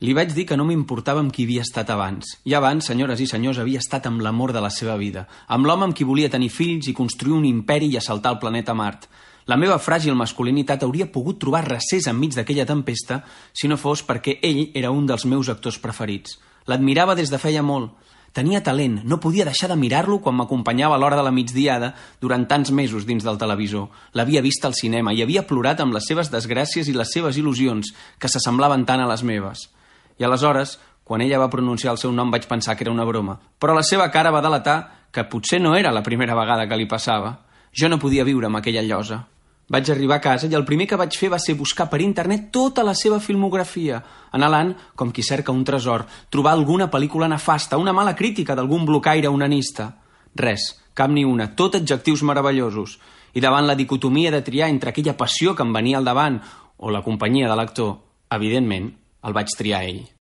Li vaig dir que no m'importava amb qui havia estat abans. I abans, senyores i senyors, havia estat amb l'amor de la seva vida, amb l'home amb qui volia tenir fills i construir un imperi i assaltar el planeta Mart. La meva fràgil masculinitat hauria pogut trobar recés enmig d'aquella tempesta si no fos perquè ell era un dels meus actors preferits. L'admirava des de feia molt. Tenia talent, no podia deixar de mirar-lo quan m'acompanyava a l'hora de la migdiada durant tants mesos dins del televisor. L'havia vist al cinema i havia plorat amb les seves desgràcies i les seves il·lusions, que s'assemblaven tant a les meves. I aleshores, quan ella va pronunciar el seu nom, vaig pensar que era una broma. Però la seva cara va delatar que potser no era la primera vegada que li passava. Jo no podia viure amb aquella llosa. Vaig arribar a casa i el primer que vaig fer va ser buscar per internet tota la seva filmografia, anhelant, com qui cerca un tresor, trobar alguna pel·lícula nefasta, una mala crítica d'algun blocaire onanista. Res, cap ni una, tot adjectius meravellosos. I davant la dicotomia de triar entre aquella passió que em venia al davant o la companyia de l'actor, evidentment, el vaig triar ell.